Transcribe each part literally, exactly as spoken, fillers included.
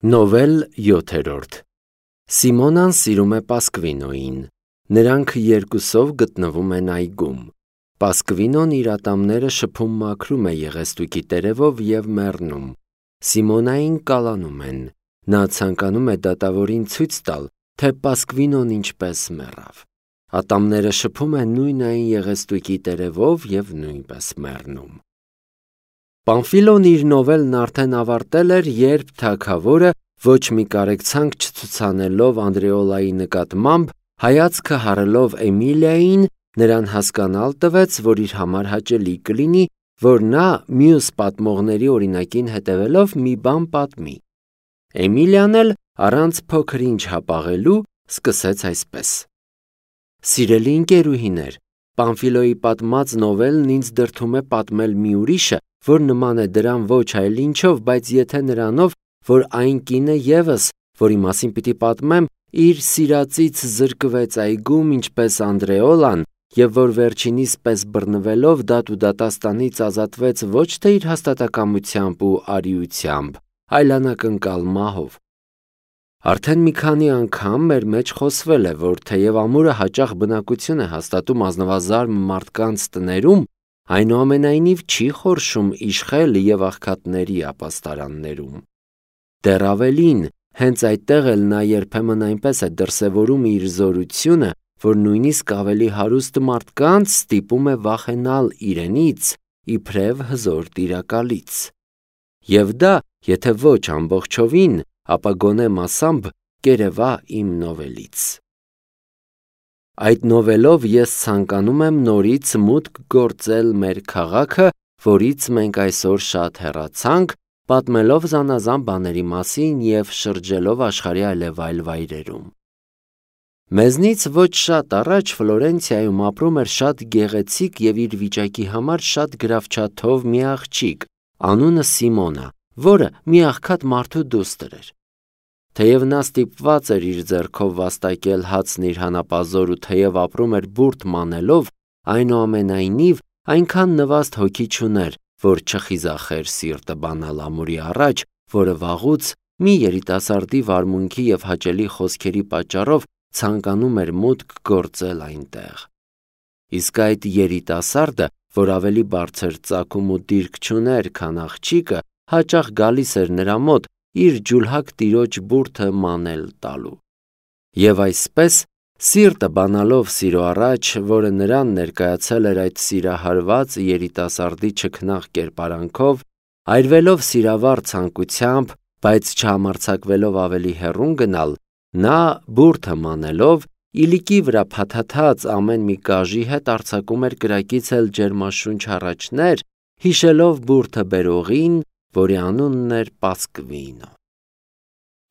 Նովել յոթերորդ Սիմոնան սիրում է Պասկվինոյին։ Նրանք երկուսով գտնվում են այգում։ Պասկվինոն իր ատամները շփում մաքրում է եղեստուկի տերևով և մեռնում։ Սիմոնային կալանում են։ Նա ցանկանում է դատավորին ցույց տալ, թե Պասկվինոն ինչպես մեռավ։ Ատամները շփում է նույն այն եղեստուկի տերևով և նույնպես մեռնում։ Պամֆիլոն իր նովելն արդեն ավարտել էր, երբ թագավորը, ոչ մի կարեկցանք չցուցանելով Անդրեոլայի նկատմամբ, հայացքը հառելով Էմիլիային, նրան հասկանալ տվեց, որ իր համար հաճելի կլինի, որ նա մյուս պատմողների օրինակին հետևելով մի բան պատմի։ Էմիլիան էլ առանց փոքր-ինչ հապաղելու սկսեց այսպես. Սիրելի ընկերուհիներ, Պամֆիլոյի պատմած նովելն ինձ դրդում է պատմել մի ուրիշը, որ նման է դրան ոչ այլ ինչով, բայց եթե նրանով, որ այն կինը ևս, որի մասին պիտի պատմեմ, իր սիրածից զրկվեց այգում, ինչպես Անդրեոլան, և որ վերջինիս պես բռնվելով դատ ու դատաստանից ազատվեց ոչ թե իր հաստատակամությամբ ու արիությամբ, այլ անակնկալ մահով։ Արդեն մի քանի անգամ մեր մեջ խոսվել է, որ թեև ամուրը հաճախ բնակություն է հաստատում ազնվազարմ մարդկանց տներում, այնուամենայնիվ չի խորշում իշխել և աղքատների ապաստարաններում։ Դեռ ավելին, հենց այդտեղ էլ նա երբեմն այնպես է դրսևորում իր զորությունը, որ նույնիսկ ավելի հարուստ մարդկանց ստիպում է վախենալ իրենից, իբրև հզոր տիրակալից։ Եվ դա, եթե ոչ ամբողջովին, ապա գոնե մասամբ կերևա իմ նովելից։ Այդ նովելով ես ցանկանում եմ նորից մուտք գործել մեր քաղաքը, որից մենք այսօր շատ հեռացանք, պատմելով զանազան բաների մասին և շրջելով աշխարհի այլևայլ վայրերում։ Մեզնից ոչ շատ առաջ Ֆլորենցիայում ապրում էր շատ գեղեցիկ և իր վիճակի համար շատ գրավչաթով մի աղջիկ, անունը Սիմոնա, որը մի աղքատ մարդու դուստր էր։ Թեև նա ստիպված էր իր ձեռքով վաստակել հացն իր հանապազոր ու թեև ապրում էր բուրդ մանելով, այնուամենայնիվ այնքան նվաստ հոգի չուներ, որ չխիզախեր սիրտը բանալ ամուրի առաջ, որը վաղուց մի երիտասարդի վարմունքի և հաճելի խոսքերի պատճառով ցանկանում էր մուտք գործել այնտեղ։ Իսկ այդ երիտասարդը, որ ավելի բարձր ծագում ու դիրք չուներ, քան աղջիկը, հաճախ գալիս էր նրա մոտ իր ջուլհակ տիրոջ բուրդը մանել տալու։ Եվ այսպես, սիրտը բանալով սիրո առաջ, որը նրան ներկայացել էր այդ սիրահարված երիտասարդի չքնաղ կերպարանքով, այրվելով սիրավառ ցանկությամբ, բայց չհամարձակվելով ավելի հեռուն գնալ, նա բուրդը մանելով, իլիկի վրա փաթաթած ամեն մի կաժի հետ արձակում էր կրակից էլ ջերմաշունչ հառաչներ, հիշելով բուրդը բերողին, որի անունն էր Պասկվինո։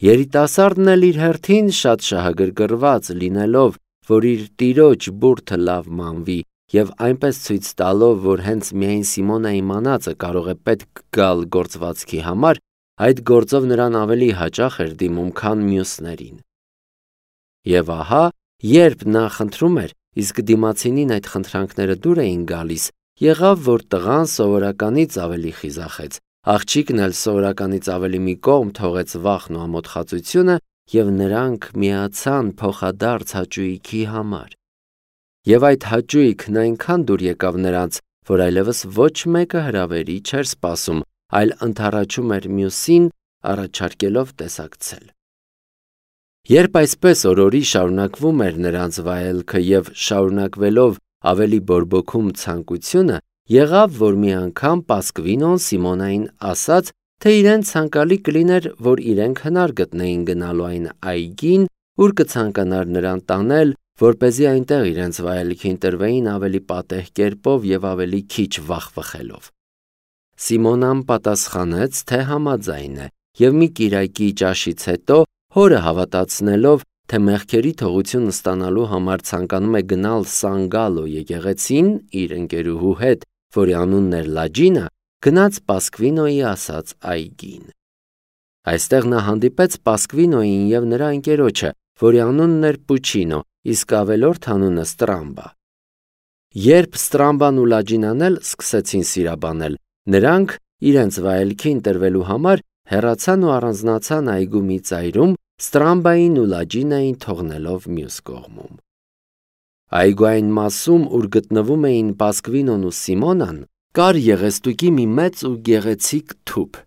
Երիտասարդն էլ իր հերթին շատ շահագրգռված լինելով, որ իր տիրոջ բուրդը լավ մանվի և այնպես ցույց տալով, որ հենց միայն Սիմոնայի մանածը կարող է պետք գալ գործվածքի համար, այդ գործով նրան ավելի հաճախ էր դիմում, քան մյուսներին։ Եվ ահա, երբ նա խնդրում էր, իսկ դիմացինին այդ խնդրանքները դուր էին գալիս, եղավ, որ տղան սովորականից ավելի խիզախեց, աղջիկն էլ սովորականից ավելի մի կողմ թողեց վախն ու ամոթխածությունը և նրանք միացան փոխադարձ հաճույքի համար։ Եվ այդ հաճույքն այնքան դուր եկավ նրանց, որ այլևս ոչ մեկը հրավերի չէր սպասում, այլ ընդառաջում էր մյուսին, առաջարկելով տեսակցել։ Երբ այսպես օրորի շարունակվում էր նրանց վայելքը և շարունակվելով ավելի բորբոքում ցանկությունը, եղավ, որ մի անգամ Պասկվինոն Սիմոնային ասաց, թե իրեն ցանկալի կլիներ, որ իրենք հնար գտնեին գնալու այն այգին, ուր կցանկանար նրան տանել, որպեսզի այնտեղ իրենց վայելքին տրվեին ավելի պատեհ կերպով և ավելի քիչ վախվխելով։ Սիմոնան պատասխանեց, թե համաձայն է, և մի կիրակի ճաշից հետո, հորը հավատացնելով, թե մեղքերի թողություն ստանալու համար ցանկանում է գնալ Սան-Գալո եկեղեցին իր ընկերուհու հետ, որի անունն էր Լաջինա, գնաց Պասկվինոյի ասած այգին։ Այստեղ նա հանդիպեց Պասկվինոյին և նրա ընկերոջը, որի անունն էր Պուչինո, իսկ ավելորդ անունը Ստրամբա։ Երբ Ստրամբան ու Լաջինան էլ սկսեցին սիրաբանել, նրանք իրենց վայելքին տրվելու համար հեռացան ու առանձնացան այգու մի ծայրում, Ստրամբային ու Լաջինային թողնելով մյուս կողմում։ Այգու այն մասում, ուր գտնվում էին Պասկվինոն ու Սիմոնան, կար եղեստուկի մի մեծ ու գեղեցիկ թուփ։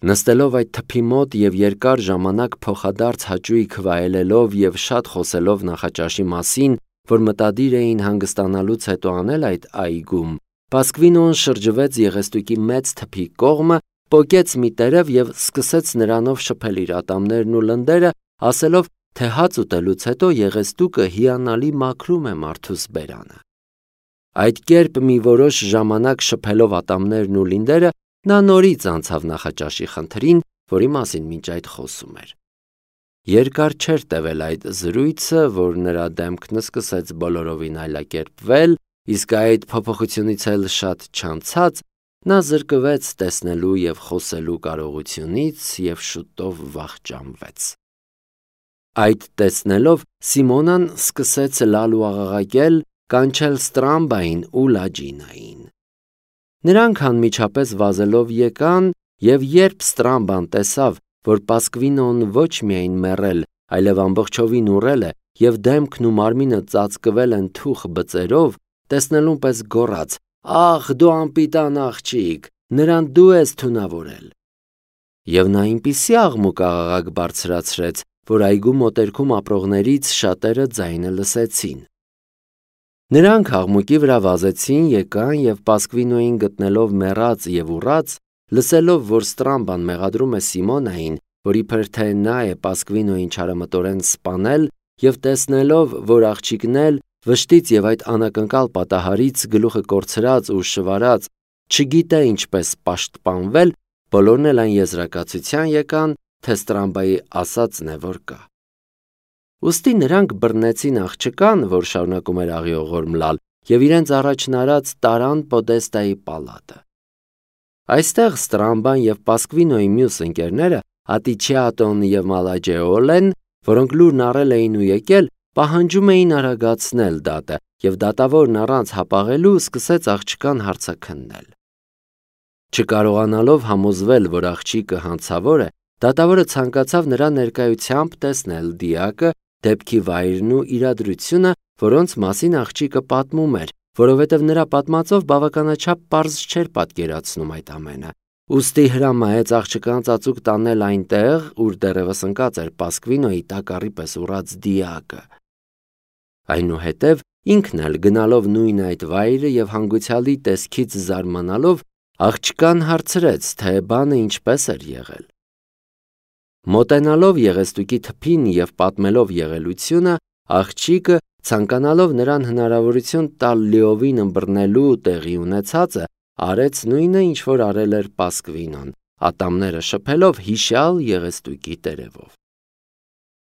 Նստելով այդ թփի մոտ եւ երկար ժամանակ փոխադարձ հաճույք վայելելով եւ շատ խոսելով նախաճաշի մասին, որ մտադիր էին հանգստանալուց հետո անել այդ այգում, Պասկվինոն շրջվեց եղեստուկի մեծ թփի կողմը, պոկեց մի տերև եւ սկսեց նրանով շփել իր ատամներն ու լնդերը, ասելով, թե հաց ուտելուց հետո եղեստուկը հիանալի մաքրում է մարդուս բերանը։ Այդ կերպ մի որոշ ժամանակ շփելով ատամներն ու լինդերը, նա նորից անցավ նախաճաշի խնդրին, որի մասին մինչ այդ խոսում էր։ Երկար չէր տևել այդ զրույցը, որ նրա դեմքն սկսեց բոլորովին այլակերպվել, իսկ այդ փոփոխությունից էլ շատ չանցած, նա զրկվեց տեսնելու եւ խոսելու կարողությունից եւ շուտով վախճանվեց։ Այդ տեսնելով Սիմոնան սկսեց լալ ու աղաղակել, կանչել Ստրամբային ու Լաջինային։ Նրանք անմիջապես վազելով եկան, եւ երբ Ստրամբան տեսավ, որ Պասկվինոն ոչ միայն մեռել, այլև ամբողջովին ուռել է եւ դեմքն ու մարմինը ծածկվել են թուխ բծերով, տեսնելուն պես գոռաց. «Ախ, դու անպիտան աղջիկ, նրան դու ես թունավորել»։ Եվ նա այնպիսի աղմուկ աղաղակ բարձրացրեց, որ այգու մոտերքում ապրողներից շատերը ձայնը լսեցին։ Նրանք աղմուկի վրա վազեցին, եկան եւ Պասկվինոյին գտնելով մեռած եւ ուռած, լսելով, որ Ստրամբան մեղադրում է Սիմոնային, որ իբր թե նա է Պասկվինոյին չարամտորեն սպանել, եւ տեսնելով, որ աղջիկն էլ վշտից եւ այդ անակնկալ պատահարից գլուխը կորցրած ու շվարած չգիտե ինչպես պաշտպանվել, բոլորն էլ այն եզրակացության եկան, թե Ստրամբայի ասածն է, որ կա։ Ուստի նրանք բռնեցին աղջկան, որ շարունակում էր աղիողոր մլալ, եւ իրենց առաջնարած տարան Պոդեստայի պալատը։ Այստեղ Ստրամբան եւ Պասկվինոյի մյուս ընկերները, Ատիչիատոն եւ Մալաջեոլեն, որոնք լուրն առել էին ու եկել, պահանջում էին արագացնել դատը, եւ դատավորն առանց հապաղելու սկսեց աղջկան հարցաքննել։ Չկարողանալով համոզվել, որ աղջիկը հանցավոր է, դատավորը ցանկացավ նրա ներկայությամբ տեսնել դիակը, դեպքի վայրն ու իրադրությունը, որոնց մասին աղջիկը պատմում էր, որովհետև նրա պատմածով բավականաչափ պարզ չէր պատկերացնում այդ ամենը։ Ուստի հրամայեց աղջկան ծածուկ տանել այնտեղ, ուր դեռևս ընկած էր Պասկվինոյի տակառի պես ուռած դիակը։ Այնուհետև ինքն էլ գնալով նույն այդ վայրը եւ հանգուցյալի տեսքից զարմանալով, աղջկան հարցրեց, թե բանը ինչպես էր եղել։ Մոտենալով եղեստուկի թփին եւ պատմելով եղելությունը, աղջիկը, ցանկանալով նրան հնարավորություն տալ լիովին ըմբռնելու տեղի ունեցածը, արեց նույնը, ինչ որ արել էր Պասկվինոն, ատամները շփելով հիշյալ եղեստուկի տերևով։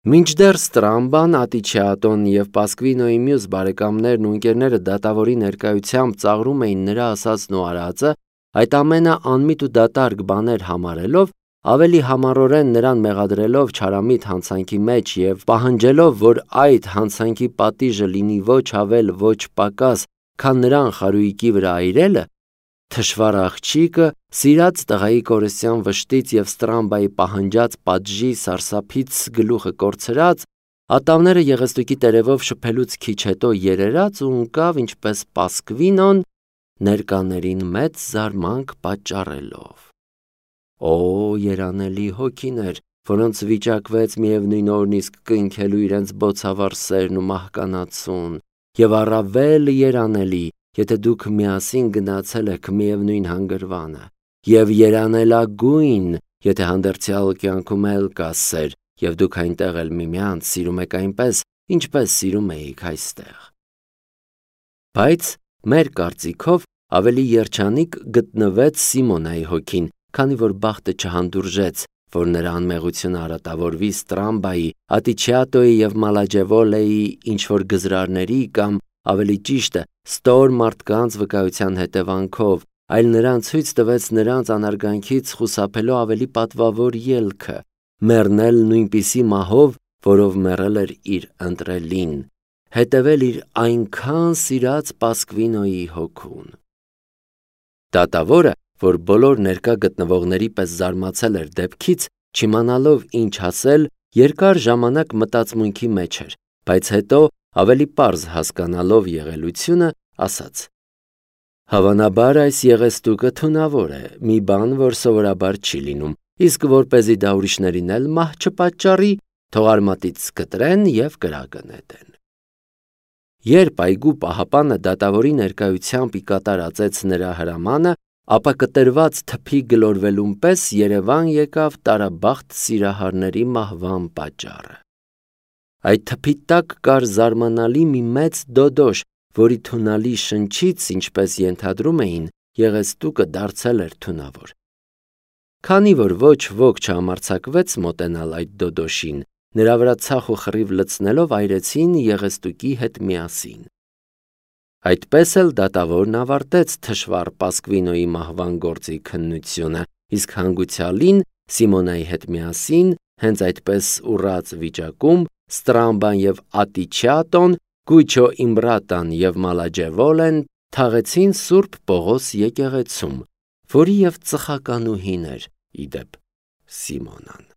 Մինչդեռ Ստրամբան, Ատիչիատոն եւ Պասկվինոյի մյուս բարեկամներն ու ընկերները դատավորի ներկայությամբ ծաղրում էին նրա ասածն ու արածը, այդ ամենը անմիտ ու դատարկ բաներ համարելով, ավելի համառորեն նրան մեղադրելով չարամիտ հանցանքի մեջ եւ պահանջելով, որ այդ հանցանքի պատիժը լինի ոչ ավել, ոչ պակաս, քան նրան խարույկի վրա այրելը, թշվառ աղջիկը, սիրած տղայի կորստյան վշտից եւ Ստրամբայի պահանջած պատժի սարսափից գլուխը կորցրած, ատամները եղեստուկի տերևով շփելուց քիչ հետո երերաց ու ընկավ ինչպես Պասկվինոն, ներկաներին մեծ զարմանք պատճառելով։ Օ, երանելի հոգիներ, որոնց վիճակվեց միևնույն օրն իսկ կնքելու իրենց բոցավառ սերն ու մահկանացուն, եւ առավել երանելի, եթե դուք միասին գնացել եք միևնույն հանգրվանը, եւ երանելագույն, եթե հանդերձյալ կյանքում էլ կա սեր, եւ դուք այնտեղ էլ միմյանց սիրում եք այնպես, ինչպես սիրում էիք այստեղ։ Բայց մեր կարծիքով ավելի երջանիկ գտնվեց Սիմոնայի հոգին, քանի որ բախտը չհանդուրժեց, որ նրա անմեղությունը արատավորվի Ստրամբայի, Ատիչիատոյի եւ Մալաջեվոլեի ինչ-որ գզրարների կամ ավելի ճիշտ է, ստոր մարդկանց վկայության հետևանքով, այլ նրան ցույց տվեց նրանց անարգանքից խուսափելու ավելի պատվավոր ելքը, մեռնել նույնպիսի մահով, որով մեռել էր իր ընտրելին, հետևել իր այնքան սիրած Պասկվինոյի հոգուն։ Դատավորը, որ բոլոր ներկա գտնվողների պես զարմացել էր դեպքից, չիմանալով ինչ ասել, երկար ժամանակ մտածմունքի մեջ էր, բայց հետո ավելի պարզ հասկանալով եղելությունը, ասաց. «Հավանաբար այս եղեստուկը թունավոր է, մի բան, որ սովորաբար չի լինում, իսկ որպեսզի դա ուրիշներին էլ մահ չպատճառի, թող արմատից կտրեն և կրակը նետեն»։ Երբ այգու պահապանը դատավորի ներկայությամբ ի կատար ածեց նրա հրամանը, ապա կտրված թփի գլորվելուն պես երևան եկավ տարաբախտ սիրահարների մահվան պատճառը։ Այդ թփի տակ կար զարմանալի մի մեծ դոդոշ, որի թունալի շնչից, ինչպես ենթադրում էին, եղեստուկը դարձել էր թունավոր։ Քանի որ ոչ ոք չհամարձակվեց մոտենալ այդ դոդոշին, նրա վրա ցախ ու խռիվ լցնելով այրեցին եղեստուկի հետ միասին։ Այդպես էլ դատավորն ավարտեց թշվառ Պասկվինոյի մահվան գործի քննությունը, իսկ հանգուցյալին Սիմոնայի հետ միասին, հենց այդպես ուռած վիճակում, Ստրամբան և Ատիչիատոն, Գույչո Իմբրատան և Մալաջևոլեն թաղեցին Սուրբ Պողոս եկեղեցում, որի և ծխականուհին էր, ի դեպ, Սիմոնան։